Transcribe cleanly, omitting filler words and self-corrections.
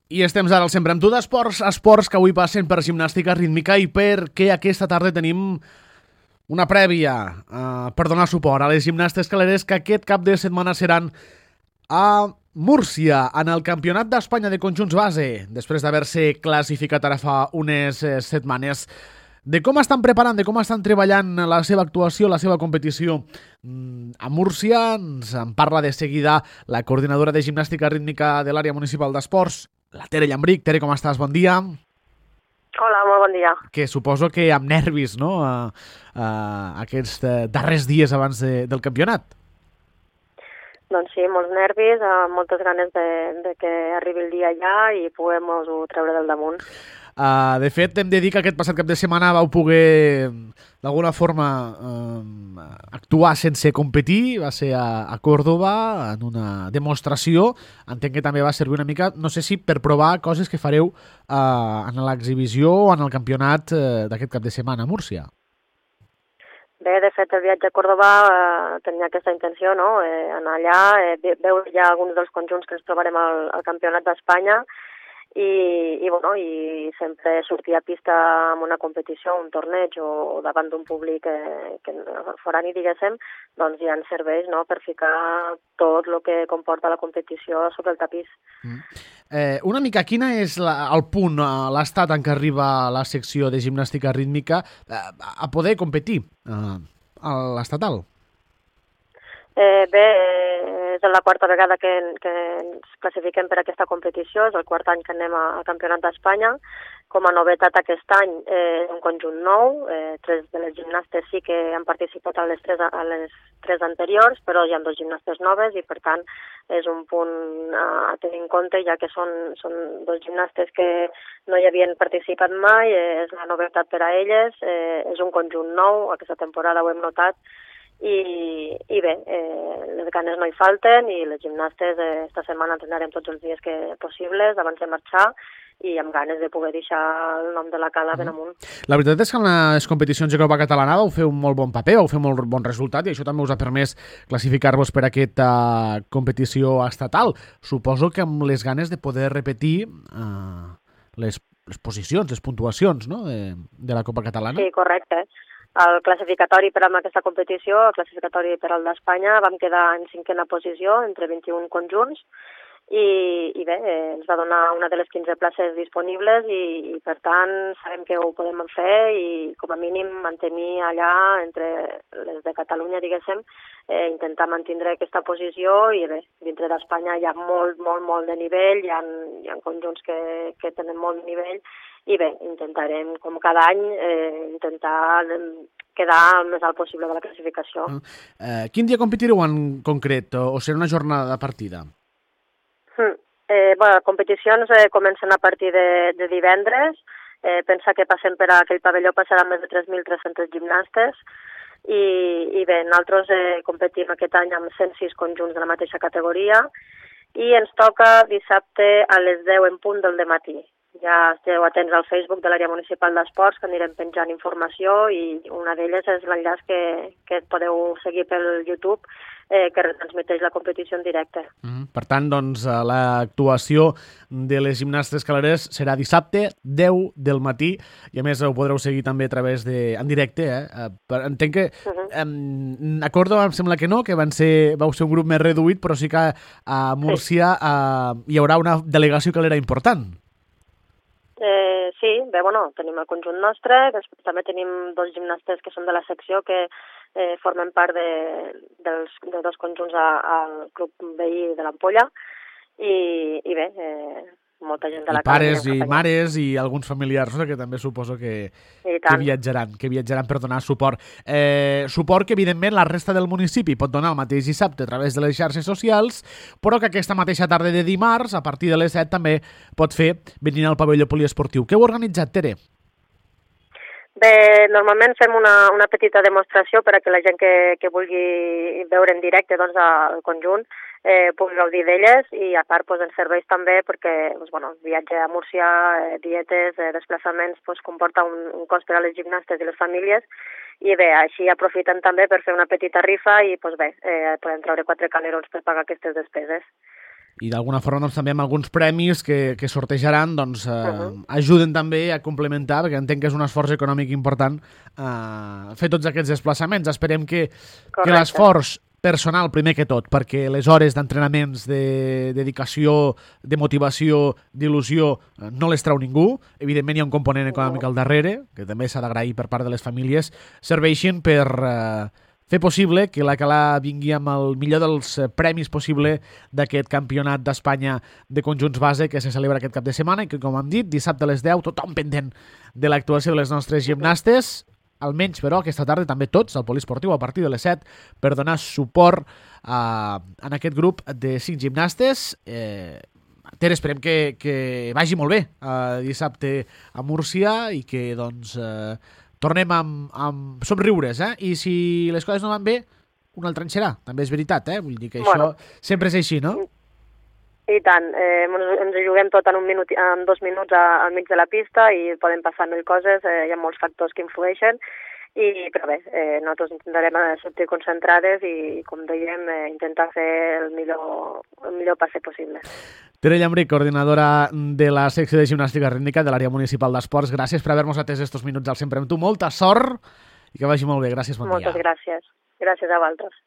I estem ara al Sempre amb tu d'Esports, esports que avui passen per gimnàstica rítmica i perquè aquesta tarda tenim una prèvia per donar suport a les gimnastes caleres que aquest cap de setmana seran a Múrcia, en el Campionat d'Espanya de Conjunts Base, després d'haver-se classificat ara fa unes setmanes. De com estan preparant, de com estan treballant la seva actuació, la seva competició a Múrcia, ens en parla de seguida la coordinadora de gimnàstica rítmica de l'àrea municipal d'esports, la Tere Llambric. Tere, com estàs? Bon dia. Hola, molt bon dia. Que suposo que amb nervis, no?, aquests darrers dies abans del campionat. Doncs sí, molts nervis, moltes ganes de que arribi el dia ja i puguem-nos-ho treure del damunt. De fet, hem de dir que aquest passat cap de setmana vau poder, d'alguna forma, actuar sense competir. Va ser a Còrdova, en una demostració. Entenc que també va servir una mica, no sé si per provar coses que fareu en l'exhibició o en el campionat d'aquest cap de setmana a Múrcia. Bé, de fet, el viatge a Còrdova tenia aquesta intenció, no?, anar allà, veure ja alguns dels conjunts que ens trobarem al Campionat d'Espanya i sempre sortir a pista amb una competició, un torneig o davant d'un públic que forani, diguéssim, doncs ja ens serveix, no?, per ficar tot el que comporta la competició sobre el tapís. Una mica, quina és el punt, l'estat en què arriba la secció de gimnàstica rítmica a poder competir a l'estatal? Bé, és la quarta vegada que ens classifiquem per aquesta competició, és el quart any que anem al Campionat d'Espanya. Com a novetat aquest any, un conjunt nou, 3 de les gimnastes sí que han participat a les tres anteriors, però hi ha 2 gimnastes noves i per tant és un punt a tenir en compte, ja que són 2 gimnastes que no hi havien participat mai, és la novetat per a elles, és un conjunt nou, aquesta temporada ho hem notat, i bé, les ganes no hi falten i les gimnastes esta setmana entrenarem tots els dies possibles abans de marxar i amb ganes de poder deixar el nom de la cala ben amunt. La veritat és que en les competicions de Copa Catalana vau fer un molt bon paper, vau fer molt bon resultat i això també us ha permès classificar-vos per aquesta competició estatal. Suposo que amb les ganes de poder repetir les posicions, les puntuacions, no?, de la Copa Catalana. Sí, correcte. El classificatori per a aquesta competició, el classificatori per al d'Espanya, vam quedar en 5a posició entre 21 conjunts i bé, ens va donar una de les 15 places disponibles i per tant sabem que ho podem fer i com a mínim mantenir allà entre les de Catalunya, diguéssim, intentar mantenir aquesta posició i bé, dintre d'Espanya hi ha molt de nivell, hi ha conjunts que tenen molt de nivell i bé, intentarem, com cada any, intentar quedar el més alt possible de la classificació. Quin dia competireu en concret o serà una jornada de partida? Competicions comencen a partir de divendres. Pensa que passem per aquell pavelló passaran més de 3.300 gimnastes i bé, nosaltres competim aquest any amb 106 conjunts de la mateixa categoria i ens toca dissabte a les 10 en punt del dematí. Ja esteu atents al Facebook de l'àrea municipal d'esports, que anirem penjant informació i una d'elles és l'enllaç que podeu seguir pel YouTube, que retransmeteix la competició en directe. Per tant, doncs, l'actuació de les gimnastes caleres serà dissabte, 10 del matí, i a més ho podreu seguir també a través en directe. Entenc que a Còrdova em sembla que no, que vau ser un grup més reduït, però sí que a Múrcia hi haurà una delegació calera important. Sí, bé, tenim el conjunt nostre, després també tenim 2 gimnastes que són de la secció que formen part de 2 conjunts al club veí de l'Ampolla i bé, molta gent de la casa. I pares i mares i alguns familiars que també suposo que viatjaran per donar suport. Suport que, evidentment, la resta del municipi pot donar el mateix dissabte a través de les xarxes socials, però que aquesta mateixa tarda de dimarts, a partir de les 7, també pot fer venint al pavelló poliesportiu. Què heu organitzat, Tere? Bé, normalment fem una petita demostració per a que la gent que vulgui veure en directe el conjunt pugui gaudir d'elles i a part ens serveix també perquè el viatge a Múrcia, dietes, desplaçaments comporta un cost per a les gimnastes i les famílies i bé, així aprofiten també per fer una petita rifa i podem treure 4 calerons per pagar aquestes despeses. i d'alguna forma doncs, també amb alguns premis que sortejaran doncs, ajuden també a complementar, perquè entenc que és un esforç econòmic important fer tots aquests desplaçaments. Esperem que l'esforç personal, primer que tot, perquè les hores d'entrenaments, de dedicació, de motivació, d'il·lusió, no les treu ningú. Evidentment hi ha un component econòmic al darrere, que també s'ha d'agrair per part de les famílies, serveixin per fer possible que la Calà vingui amb el millor dels premis possible d'aquest campionat d'Espanya de conjunts base que se celebra aquest cap de setmana i que, com hem dit, dissabte a les 10, tothom pendent de l'actuació de les nostres gimnastes, almenys, però, aquesta tarda també tots al Poliesportiu a partir de les 7 per donar suport en aquest grup de 5 gimnastes. Ter, esperem que vagi molt bé dissabte a Múrcia i que doncs tornem amb somriures, I si les coses no van bé, un altre any serà, també és veritat, Vull dir que això sempre és així, no? I tant, ens ho juguem tot en 2 minuts al mig de la pista i poden passar mil coses, hi ha molts factors que influeixen, però bé, nosaltres intentarem sortir concentrades i, com dèiem, intentar fer el millor passe possible. Tere Llambric, coordinadora de la secció de gimnàstica rítmica de l'àrea municipal d'esports, gràcies per haver-nos atès estos minuts al Sempre amb tu. Molta sort i que vagi molt bé. Gràcies, bon dia. Moltes gràcies. Gràcies a vosaltres.